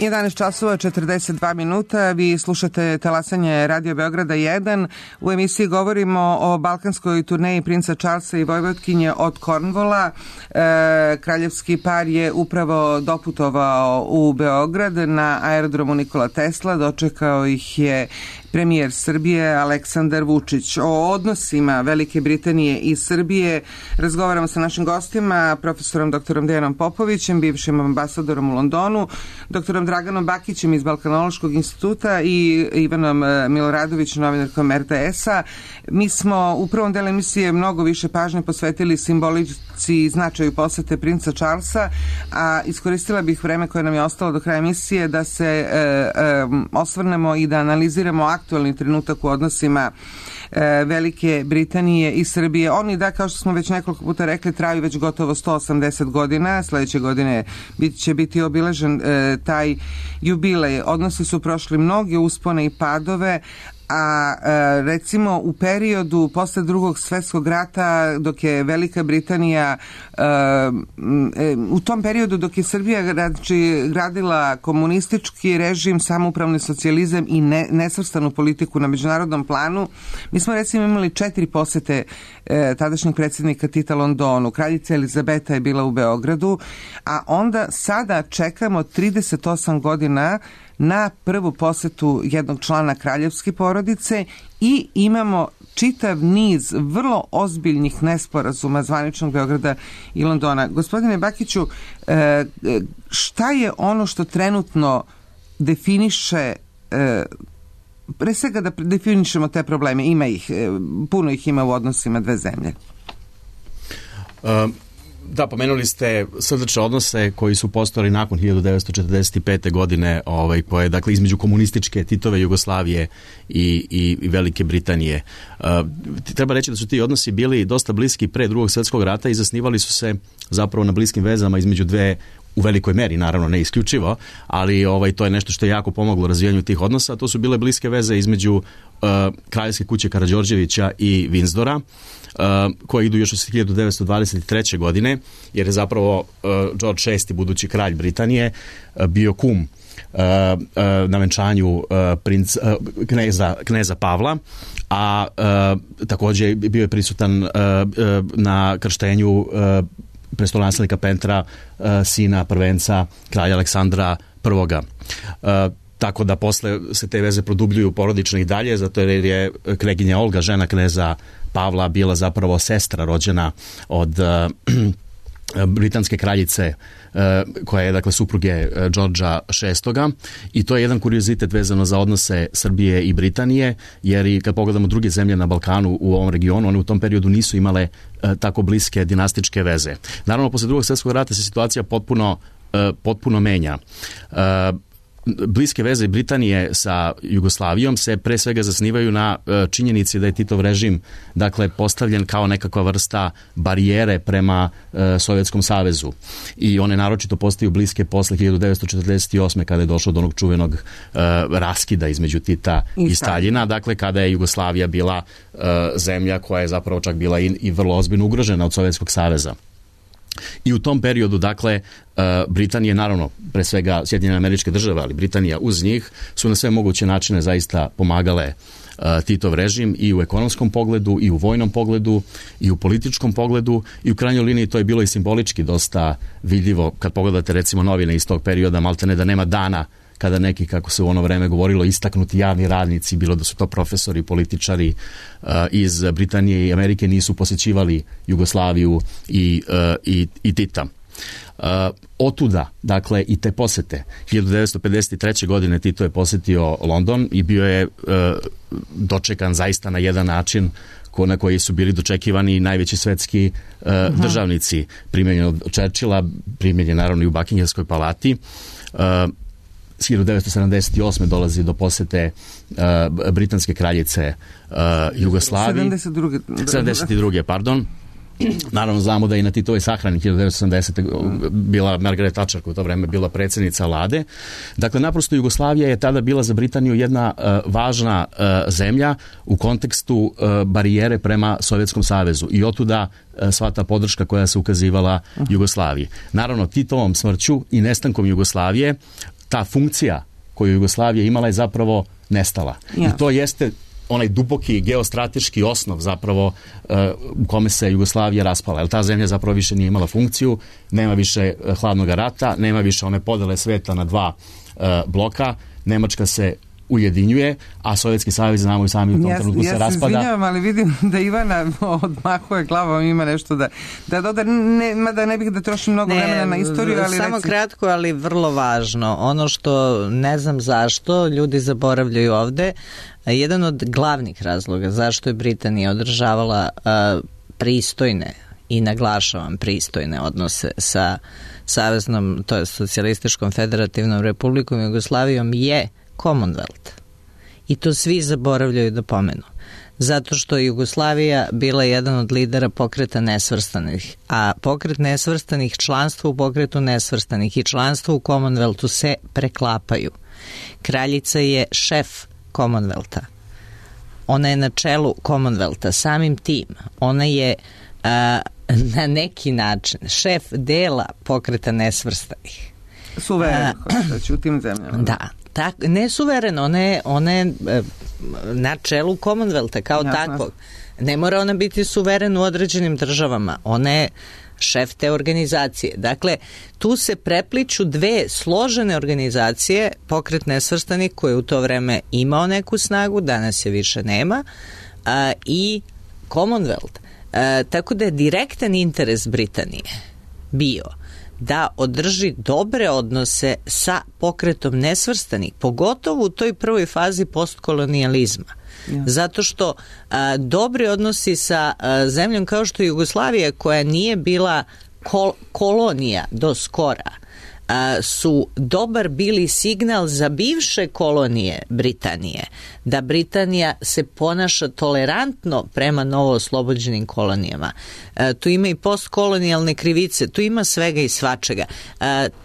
jedanaest časova četrdeset dva minuta, vi slušate talasanje Radio Beograda jedan. U emisiji govorimo o balkanskoj turneji princa Charlesa i Vojvodkinje od Cornwalla. E, kraljevski par je upravo doputovao u Beograd na aerodromu Nikola Tesla, dočekao ih je premijer Srbije Aleksandar Vučić. O odnosima Velike Britanije i Srbije razgovaramo sa našim gostima, profesorom doktorom Dejanom Popovićem, bivšim ambasadorom u Londonu, doktorom Draganom Bakićem iz Balkanološkog instituta i Ivanom Miloradovićem, novinarkom R T S-a. Mi smo u prvom delu emisije mnogo više pažnje posvetili simbolici i značaju posete princa Charlesa, a iskoristila bih vreme koje nam je ostalo do kraja emisije da se e, e, osvrnemo i da analiziramo aktualni trenutak u odnosima e, Velike Britanije i Srbije. Oni, da, kao što smo već nekoliko puta rekli, traju već gotovo sto osamdeset godina. Sledeće godine bit, će biti obiležen e, taj jubilej. Odnosi su prošli mnoge uspone i padove, a e, recimo u periodu posle drugog svjetskog rata, dok je Velika Britanija e, e, u tom periodu dok je Srbija znači, gradila komunistički režim, samoupravni socijalizam i ne, nesvrstanu politiku na međunarodnom planu, mi smo recimo imali četiri posete e, tadašnjeg predsjednika Tita Londonu. Kraljica Elizabeta je bila u Beogradu, a onda sada čekamo trideset osam godina na prvu posetu jednog člana kraljevske porodice i imamo čitav niz vrlo ozbiljnih nesporazuma zvaničnog Beograda i Londona. Gospodine Bakiću, šta je ono što trenutno definiše, pre svega da definišemo te probleme, ima ih, puno ih ima u odnosima dve zemlje? Um. da, pomenuli ste srdačne odnose koji su postojali nakon hiljadu devetsto četrdeset pete. godine, ovaj, koje, dakle, između komunističke Titove Jugoslavije i, i, i Velike Britanije. Uh, treba reći da su ti odnosi bili dosta bliski pre drugog svjetskog rata i zasnivali su se zapravo na bliskim vezama između dve, u velikoj meri, naravno ne isključivo, ali ovaj, to je nešto što je jako pomoglo razvijanju tih odnosa. To su bile bliske veze između uh, kraljevske kuće Karađorđevića i Windsora, uh, koje idu još od hiljadu devetsto dvadeset treće. godine, jer je zapravo uh, George šesti, budući kralj Britanije, uh, bio kum Uh, uh, na venčanju uh, princ, uh, kneza, kneza Pavla, a uh, također bio je prisutan uh, uh, na krštenju uh, prestolonaslednika Petra, uh, sina prvenca kralja Aleksandra prvoga. Uh, tako da posle se te veze produbljuju porodično i dalje, zato jer je kneginja Olga, žena kneza Pavla, bila zapravo sestra rođena od uh, britanske kraljice, koja je, dakle, supruge Đorđa šestoga. I to je jedan kuriozitet vezano za odnose Srbije i Britanije, jer i kad pogledamo druge zemlje na Balkanu u ovom regionu, one u tom periodu nisu imale tako bliske dinastičke veze. Naravno, posle drugog svjetskog rata se situacija potpuno, potpuno menja. Bliske veze Britanije sa Jugoslavijom se pre svega zasnivaju na činjenici da je Titov režim, dakle, postavljen kao nekakva vrsta barijere prema e, Sovjetskom savezu. I one naročito postaju bliske posle hiljadu devetsto četrdeset osme. kada je došlo do onog čuvenog e, raskida između Tita i, i Staljina, dakle, kada je Jugoslavija bila e, zemlja koja je zapravo čak bila i, i vrlo ozbiljno ugrožena od Sovjetskog saveza. I u tom periodu, dakle, Britanije, naravno, pre svega Sjedinjene Američke Države, ali Britanija uz njih, su na sve moguće načine zaista pomagale Titov režim i u ekonomskom pogledu, i u vojnom pogledu, i u političkom pogledu, i u krajnjoj liniji to je bilo i simbolički dosta vidljivo. Kad pogledate, recimo, novine iz tog perioda, maltene da nema dana kada neki, kako se u ono vreme govorilo, istaknuti javni radnici, bilo da su to profesori, političari uh, iz Britanije i Amerike, nisu posjećivali Jugoslaviju i, uh, i, i Tita. Uh, otuda, dakle, i te posete. hiljadu devetsto pedeset treće. godine Tito je posjetio London i bio je uh, dočekan zaista na jedan način ko, na koji su bili dočekivani najveći svetski uh, uh-huh. državnici. Primljen od Churchilla, primljen naravno i u Buckinghamskoj palati. Uh, hiljadu devetsto sedamdeset osme. dolazi do posete uh, britanske kraljice uh, Jugoslaviji. sedamdeset druge. sedamdeset druge. pardon. Naravno, znamo da je na Titovoj sahrani hiljadu devetsto sedamdesete. bila Margaret Thatcher, koja u to vreme bila predsjednica vlade. Dakle, naprosto Jugoslavija je tada bila za Britaniju jedna uh, važna uh, zemlja u kontekstu uh, barijere prema Sovjetskom savezu. I otuda uh, sva ta podrška koja se ukazivala Jugoslaviji. Naravno, Titovom smrću i nestankom Jugoslavije ta funkcija koju Jugoslavija imala je zapravo nestala. Ja. I to jeste onaj duboki geostrateški osnov zapravo uh, u kome se Jugoslavija raspala. Jer ta zemlja zapravo više nije imala funkciju, nema više uh, hladnog rata, nema više one podele sveta na dva uh, bloka. Nemačka se ujedinjuje, a Sovjetski savez, znamo i sami, u tom ja, trenutku ja se raspada. Ja se izvinjavam, ali vidim da Ivana odmahuje glavom, ima nešto da, da doda, ne, mada ne bih da trošim mnogo ne, vremena na istoriju, ali samo reci... kratko, ali vrlo važno. Ono što ne znam zašto ljudi zaboravljaju ovde, jedan od glavnih razloga zašto je Britanija održavala uh, pristojne i naglašavam pristojne odnose sa Saveznom, to je Socijalističkom federativnom republikom Jugoslavijom, je Commonwealth. I to svi zaboravljaju da pomenu. Zato što je Jugoslavija bila jedan od lidera pokreta nesvrstanih, a pokret nesvrstanih, članstvo u pokretu nesvrstanih i članstvo u Commonwealthu se preklapaju. Kraljica je šef Commonwealtha. Ona je na čelu Commonwealtha. Samim tim, ona je a, na neki način šef dela pokreta nesvrstanih. Suvereno, u tim zemljama. Da. Tak, ne suvereno, ona je, ona je na čelu Commonwealtha kao ja, takvog. Ne mora ona biti suveren u određenim državama. Ona je šef te organizacije. Dakle, tu se prepliču dve složene organizacije, pokret nesvrstanih koji u to vreme imao neku snagu, danas je više nema, a, i Commonwealth. A, tako da je direktan interes Britanije bio da održi dobre odnose sa pokretom nesvrstanih, pogotovo u toj prvoj fazi postkolonijalizma. Ja. Zato što a, dobri odnosi sa a, zemljom kao što je Jugoslavija, koja nije bila kol- kolonija do skora su dobar bili signal za bivše kolonije Britanije, da Britanija se ponaša tolerantno prema novooslobođenim kolonijama. Tu ima i postkolonijalne krivice, tu ima svega i svačega.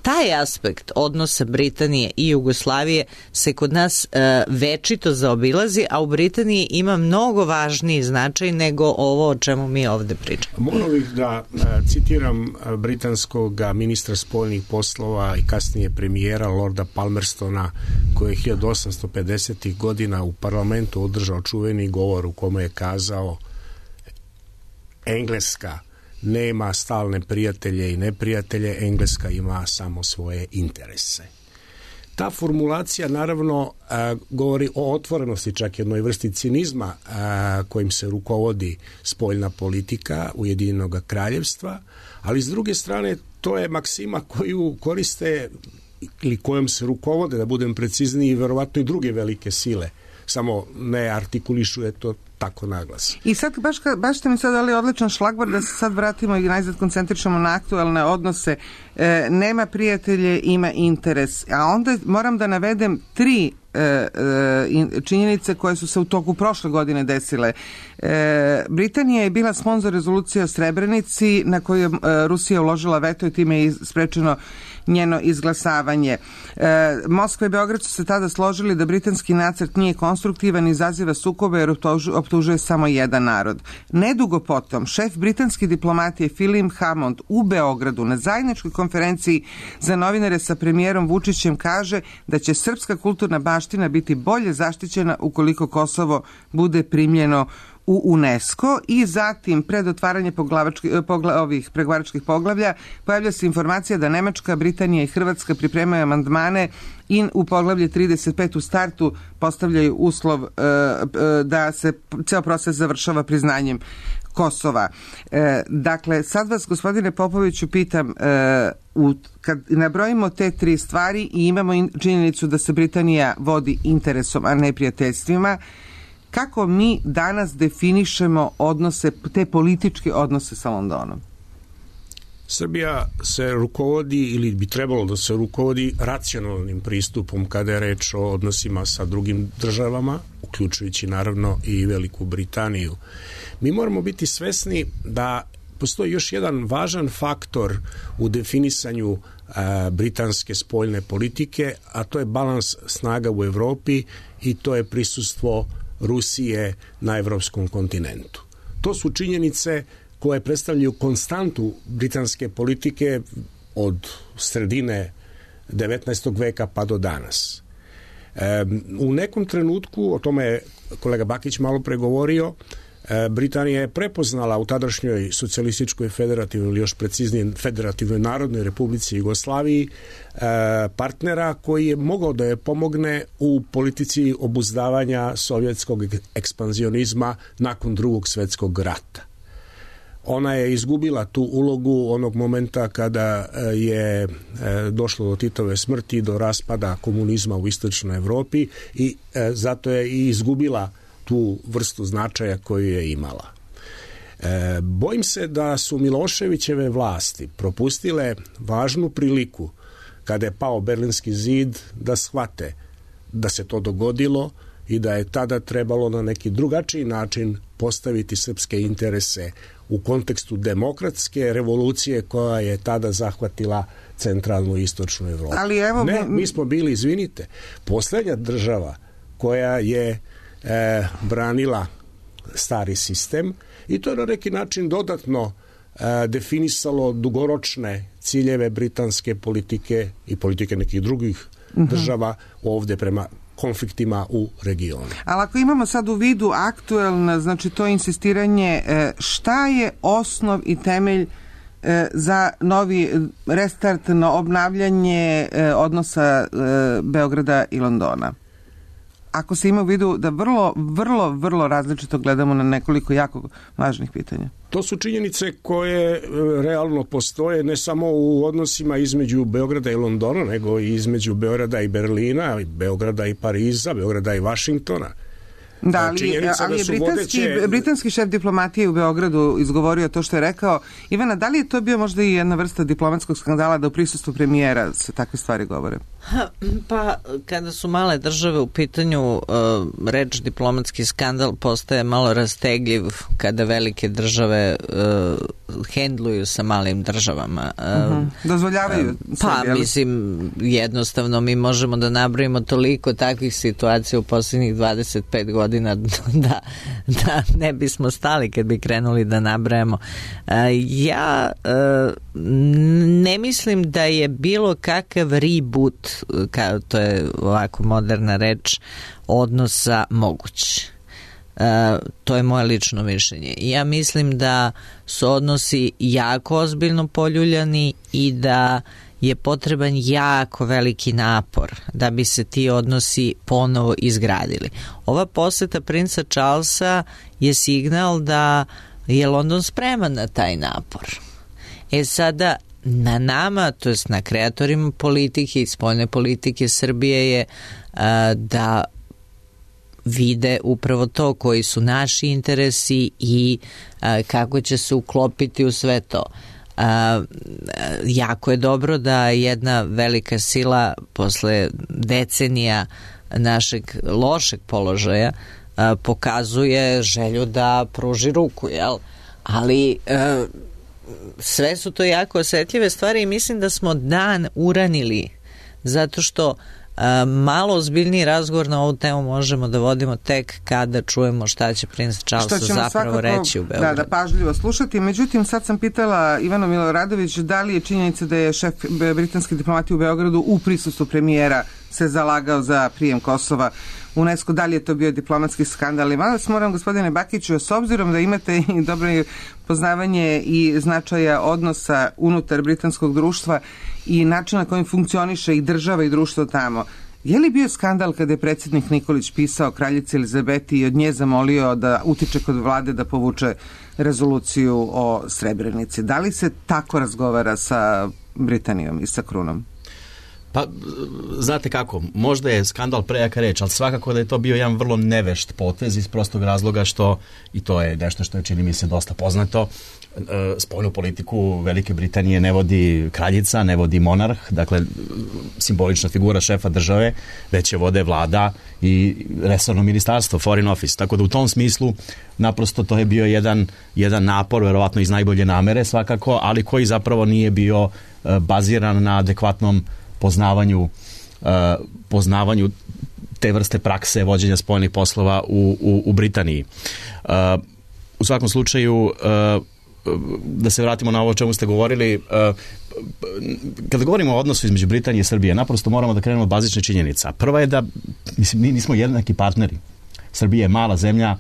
Taj aspekt odnosa Britanije i Jugoslavije se kod nas večito zaobilazi, a u Britaniji ima mnogo važniji značaj nego ovo o čemu mi ovde pričamo. Moram bih da citiram britanskog ministra spoljnih poslova i kasnije premijera Lorda Palmerstona, koji je hiljadu osamsto pedesetih godina u parlamentu održao čuveni govor u kome je kazao: Engleska nema stalne prijatelje i neprijatelje, Engleska ima samo svoje interese. Ta formulacija naravno a, govori o otvorenosti, čak jednoj vrsti cinizma a, kojim se rukovodi spoljna politika Ujedinjenog kraljevstva, ali s druge strane to je maksima koju koriste ili kojom se rukovode, da budem precizniji, verovatno i druge velike sile, samo ne artikulišu to tako naglas. I sad, baš, baš ste mi sad dali odličan šlagvor da se sad vratimo i najzad koncentričamo na aktualne odnose. E, nema prijatelje, ima interes. A onda moram da navedem tri e, e, činjenice koje su se u toku prošle godine desile. E, Britanija je bila sponzor rezolucije o Srebrenici na koju je e, Rusija uložila veto i time je sprečeno njeno izglasavanje. E, Moskva i Beograd su se tada složili da britanski nacrt nije konstruktivan i izaziva sukobe jer optužuje samo jedan narod. Nedugo potom, šef britanske diplomatije Philip Hammond u Beogradu na zajedničkoj konferenciji za novinare sa premijerom Vučićem kaže da će srpska kulturna baština biti bolje zaštićena ukoliko Kosovo bude primljeno u UNESCO i zatim pred otvaranje pogla, ovih pregovaračkih poglavlja pojavlja se informacija da Nemačka, Britanija i Hrvatska pripremaju amandmane i u poglavlje trideset pet u startu postavljaju uslov e, e, da se ceo proces završava priznanjem Kosova. E, dakle, sad vas, gospodine Popoviću, pitam, e, u, kad nabrojimo te tri stvari i imamo in, činjenicu da se Britanija vodi interesom, a ne prijateljstvima, kako mi danas definišemo odnose, te političke odnose sa Londonom? Srbija se rukovodi ili bi trebalo da se rukovodi racionalnim pristupom kada je reč o odnosima sa drugim državama, uključujući naravno i Veliku Britaniju. Mi moramo biti svesni da postoji još jedan važan faktor u definisanju a, britanske spoljne politike, a to je balans snaga u Evropi i to je prisustvo Rusije na evropskom kontinentu. To su činjenice koje predstavljaju konstantu britanske politike od sredine devetnaestog veka pa do danas. E, u nekom trenutku, o tome je kolega Bakić malo pregovorio, e, Britanija je prepoznala u tadašnjoj socijalističkoj federativnoj ili još preciznije federativnoj narodnoj republici Jugoslaviji e, partnera koji je mogao da je pomogne u politici obuzdavanja sovjetskog ekspanzionizma nakon drugog svjetskog rata. Ona je izgubila tu ulogu onog momenta kada je došlo do Titove smrti, do raspada komunizma u istočnoj Evropi i zato je i izgubila tu vrstu značaja koju je imala. Bojim se da su Miloševićeve vlasti propustile važnu priliku kada je pao Berlinski zid da shvate da se to dogodilo i da je tada trebalo na neki drugačiji način postaviti srpske interese u kontekstu demokratske revolucije koja je tada zahvatila centralnu i istočnu Evropu. Ali evo, ne, mi smo bili, izvinite, poslednja država koja je e, branila stari sistem i to je na neki način dodatno e, definisalo dugoročne ciljeve britanske politike i politike nekih drugih uh-huh. država ovde prema konfliktima u regionu. Ali ako imamo sad u vidu aktuelno, znači to insistiranje, šta je osnov i temelj za novi restart, na obnavljanje odnosa Beograda i Londona? Ako se ima u vidu da vrlo, vrlo, vrlo različito gledamo na nekoliko jako važnih pitanja. To su činjenice koje realno postoje ne samo u odnosima između Beograda i Londona, nego i između Beograda i Berlina, Beograda i Pariza, Beograda i Vašingtona. Da, ali, ali je britanski, vodeće... britanski šef diplomatije u Beogradu izgovorio to što je rekao. Ivana, da li je to bio možda i jedna vrsta diplomatskog skandala da u prisustvu premijera se takve stvari govore? Ha, pa kada su male države u pitanju, uh, reč diplomatski skandal postaje malo rastegljiv kada velike države uh, hendluju sa malim državama. Uh, uh-huh. Dozvoljavaju uh, Pa, sebi, mislim, jednostavno mi možemo da nabrojimo toliko takvih situacija u posljednjih dvadeset pet godina da, da ne bismo stali kad bi krenuli da nabrajamo. Uh, ja uh, ne mislim da je bilo kakav reboot, kao to je ovako moderna reč, odnosa moguć. Uh, to je moje lično mišljenje. Ja mislim da su odnosi jako ozbiljno poljuljani i da je potreban jako veliki napor da bi se ti odnosi ponovo izgradili. Ova poseta princa Charlesa je signal da je London spreman na taj napor. E sada, na nama, to jest na kreatorima politike i spoljne politike Srbije je a, da vide upravo to koji su naši interesi i a, kako će se uklopiti u sve to. A, jako je dobro da jedna velika sila posle decenija našeg lošeg položaja a, pokazuje želju da pruži ruku, jel? Ali a, sve su to jako osetljive stvari i mislim da smo dan uranili zato što a, malo ozbiljniji razgovor na ovu temu možemo da vodimo tek kada čujemo šta će princ Charles zapravo svakako reći u Beogradu. Da, da pažljivo slušati. Međutim, sad sam pitala Ivanu Miloradović da li je činjenica da je šef britanske diplomatije u Beogradu u prisustvu premijera se zalagao za prijem Kosova u UNESCO, da li je to bio diplomatski skandal. I vas moram, gospodine Bakiću, s obzirom da imate i dobro poznavanje i značaja odnosa unutar britanskog društva i načina kojim funkcioniše i država i društvo tamo, je li bio skandal kada je predsjednik Nikolić pisao kraljici Elizabeti i od nje zamolio da utiče kod vlade da povuče rezoluciju o Srebrenici? Da li se tako razgovara sa Britanijom i sa Krunom? Pa, znate kako, možda je skandal prejaka reč, ali svakako da je to bio jedan vrlo nevešt potez iz prostog razloga što, i to je nešto što je, čini mi se, dosta poznato, spoljnu politiku Velike Britanije ne vodi kraljica, ne vodi monarh, dakle simbolična figura šefa države, već je vode vlada i resorno ministarstvo, Foreign Office, tako da u tom smislu naprosto to je bio jedan, jedan napor, verovatno iz najbolje namere svakako, ali koji zapravo nije bio baziran na adekvatnom poznavanju uh, poznavanju te vrste prakse vođenja spoljnih poslova u, u, u Britaniji. Uh, u svakom slučaju, uh, da se vratimo na ovo o čemu ste govorili, uh, kada govorimo o odnosu između Britanije i Srbije, naprosto moramo da krenemo od bazične činjenica. Prva je da, mislim, mi nismo jednaki partneri. Srbija je mala zemlja,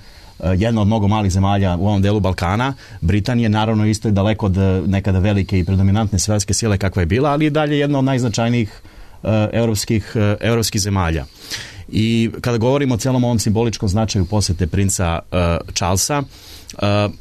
jedna od mnogo malih zemalja u ovom delu Balkana. Britanija naravno isto je daleko od nekada velike i predominantne svetske sile kakva je bila, ali je dalje jedna od najznačajnijih uh, evropskih, uh, evropskih zemalja. I kada govorimo o celom ovom simboličkom značaju posete princa uh, Charlesa, uh,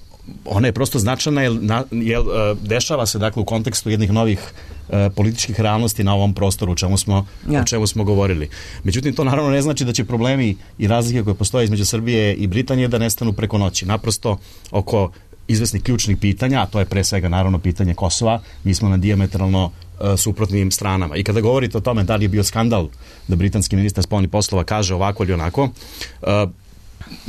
ona je prosto značajna jer, jer uh, dešava se dakle u kontekstu jednih novih uh, političkih realnosti na ovom prostoru o čemu smo, ja. o čemu smo govorili. Međutim, to naravno ne znači da će problemi i razlike koje postoje između Srbije i Britanije da nestanu preko noći. Naprosto oko izvesnih ključnih pitanja, a to je pre svega naravno pitanje Kosova, mi smo na dijametralno uh, suprotnim stranama. I kada govorite o tome da li je bio skandal da britanski ministar spoljnih poslova kaže ovako ili onako, uh,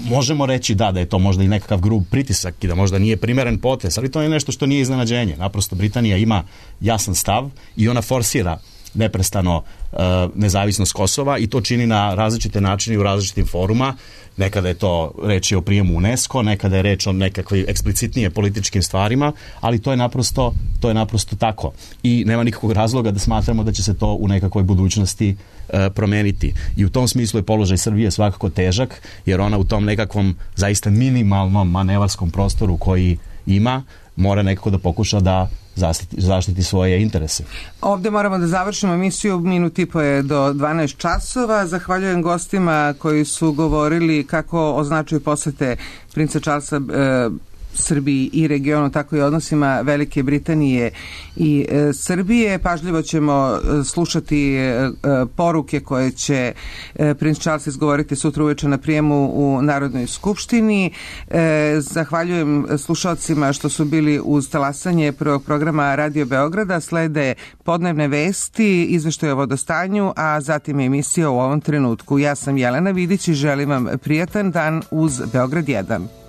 možemo reći da, da je to možda i nekakav grub pritisak i da možda nije primeren potez, ali to je nešto što nije iznenađenje. Naprosto Britanija ima jasan stav i ona forsira neprestano uh, nezavisnost Kosova i to čini na različite načine i u različitim foruma. Nekada je to reč o prijemu UNESCO, nekada je reč o nekakvim eksplicitnije političkim stvarima, ali to je naprosto, to je naprosto tako. I nema nikakvog razloga da smatramo da će se to u nekakvoj budućnosti uh, promeniti. I u tom smislu je položaj Srbije svakako težak, jer ona u tom nekakvom zaista minimalnom manevarskom prostoru koji ima, mora nekako da pokuša da zaštiti, zaštiti svoje interese. Ovde moramo da završimo emisiju, minut i po je do dvanaest časova. Zahvaljujem gostima koji su govorili kako o značaju posete princa Charlesa e, Srbiji i regionu, tako i odnosima Velike Britanije i e, Srbije. Pažljivo ćemo slušati e, poruke koje će e, princ Charles izgovoriti sutra uveče na prijemu u Narodnoj skupštini. E, zahvaljujem slušalcima što su bili uz talasanje prvog programa Radio Beograda. Slede podnevne vesti, izveštaj o vodostanju, a zatim emisija u ovom trenutku. Ja sam Jelena Vidić i želim vam prijatan dan uz Beograd jedan.